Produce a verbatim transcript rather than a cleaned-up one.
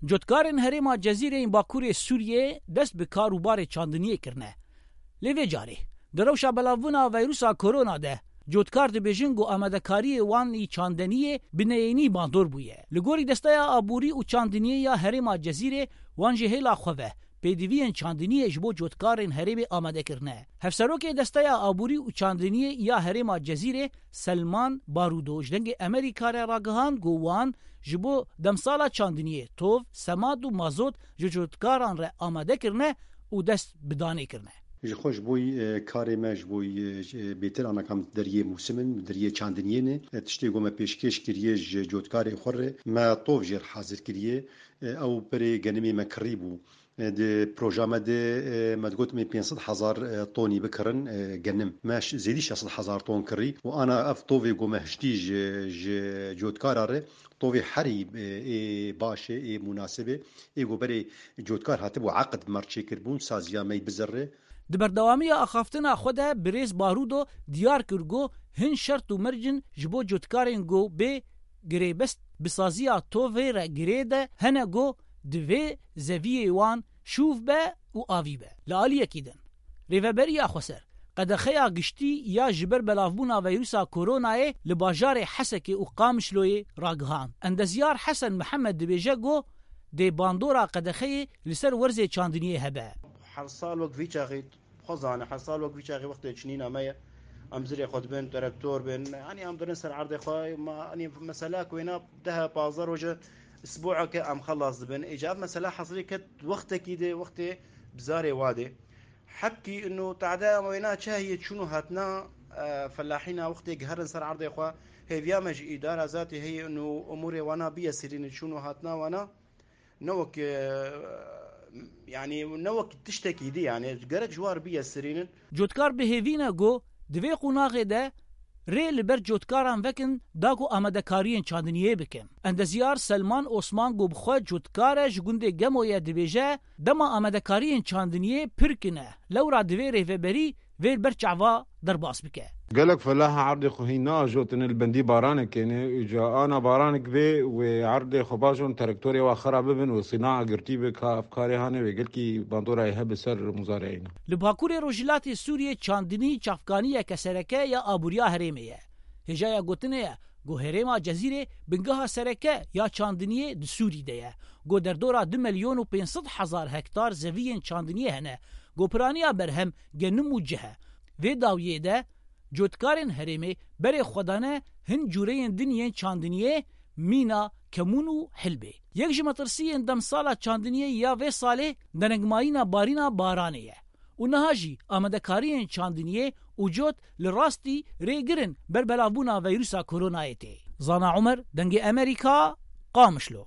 Cotkarên herêma Cezîrê yên Bakurê Sûriyê dest bi kar û barê çandiniyê kirine. Lê vê carê, di rewşa belavbûna veyrusa korona de, cotkar dibêjin ku amadekariyê wan î çandeniyê bi neyênî bandor bûye. Li gorî Desteya Aborî û Çandiniyê ya herêma Cezîrê, wan ji hêla xwe ve pêdiviyên çandiniyê ji bo cotkarên herêmê amade kirine. Hevserokê Desteya Aborî û Çandiniyê ya herêma Cezîrê, Selman Barudo, ji Dengê Amerîka re ragihand ku wan ji bo demsala çandiniyê tov, semat û mazot ji cotkaran re amade kirine û dest bi danê kirine. Ji xwe ji bo, e, karê me, ji bo, e, ji, e, bêtir ana kam deriyê mûsim in, deriyê çandiniyê ne. E, tiştê ku me pêşkêş kiriye ji cotkarê xwe re, me tov jê re hazir kiriye. E, ew berê genimê me kirî bû. E, di proja me de, e, me digot me pênc sed hezar, e, tonî bikirin, e, genim. Me ş-, zêdî şeş sed hezar ton kirî û ana ev tovê ku me hiştî ji, ji cotkara re, tovê herî, e, ê baş e, ê munasib e, ê ku berê cotkar hatibû eqd me re çêkiribûn, saziya me yî bizirre. Di berdewamiya axaftina xwe de birêz Barudo diyar kir ku hin şert û merc in ji bo cotkarên ku bê girêbest bi saziya tovê re girê de hene ku divê zeviyê wan şûv be û avî be. Li aliyekî din, Rêveberiya Xweser qedexeya giştî ya ji ber belavbûna veyrusa koronayê li bajarê Hesekê û Qamişloyê ragihand. Endezyar Hesen Mihemed dibêje ku dê bandora qedexeyê li ser werzê çandiniyê hebe. Her sal wek vî çaxî, xwe zane, her sal wek vî çaxî wextê çinîna me ye. Em zirê xwe dibin, terektor bin, yanî em dirin ser erdê xwe, ma, yanî mesela ku wêna deh pazdeh roje, isbueke em xelas dibin. Îca ev mesela hesilî ket wextekî de, wextê bizarê wa de. Hebkî inu tade em wêna çi heye çûn û hatina, e, felahîna wextê giherin ser erdê xwe, hêviya me ji îdara zatî heye inu umûrê wana biye sirîne çûn û hatina wana. Ne wek, e, yanî ne wek tiştekî dî, yanî gerek ji war biye sirînin. Cotkar bi hêvî ne ku di vê qonaxê de rê li ber cotkaran vekin da ku amadekariyên çandiniyê bikin. Endezyar Selman Osman ku bi xwe cotkar e ji gundê Gemoyê dibêje, dema amadekariyên çandiniyê pir kine, lewra divê rêveberî vê li ber çava derbas bike. Gelek felaha erdê xwe hîn naajotine li bendî baranekê ne, îca ana baranek bê wê erdê xwe bajon terektorê wa xera bibin û sînaa girtî be ka ev karê hane wê gelkî bandorayê hebe ser muzareyê ne. Li Bakurê Rojhilatê Sûriyê çandinî çavkaniyeke sereke ya aboriya herêmê ye. Hêjaya gotinê ye ku herêma Cezîrê bingeha sereke ya çandiniyê di Sûrî de ye. Ku derdora du milyon û pênc sed hezar hektar zeviyên çandiniyê hene. Ku piraniya berhem genim û cih e. Vê dawiyê de cotkarên herêmê berê xwe dane hin cûreyên din yên çandiniyê, mîna, kemûn û hilbê. Yek ji metirsiyên demsala çandiniyê ya vê salê derengmayîna barîna baranê ye. Û niha jî amadekariyên çandiniyê û cot li rastî rêgir in ber belavbûna veyrusa koronayê tê. Zana Umer, Dengê Amerîka, Qamişlo.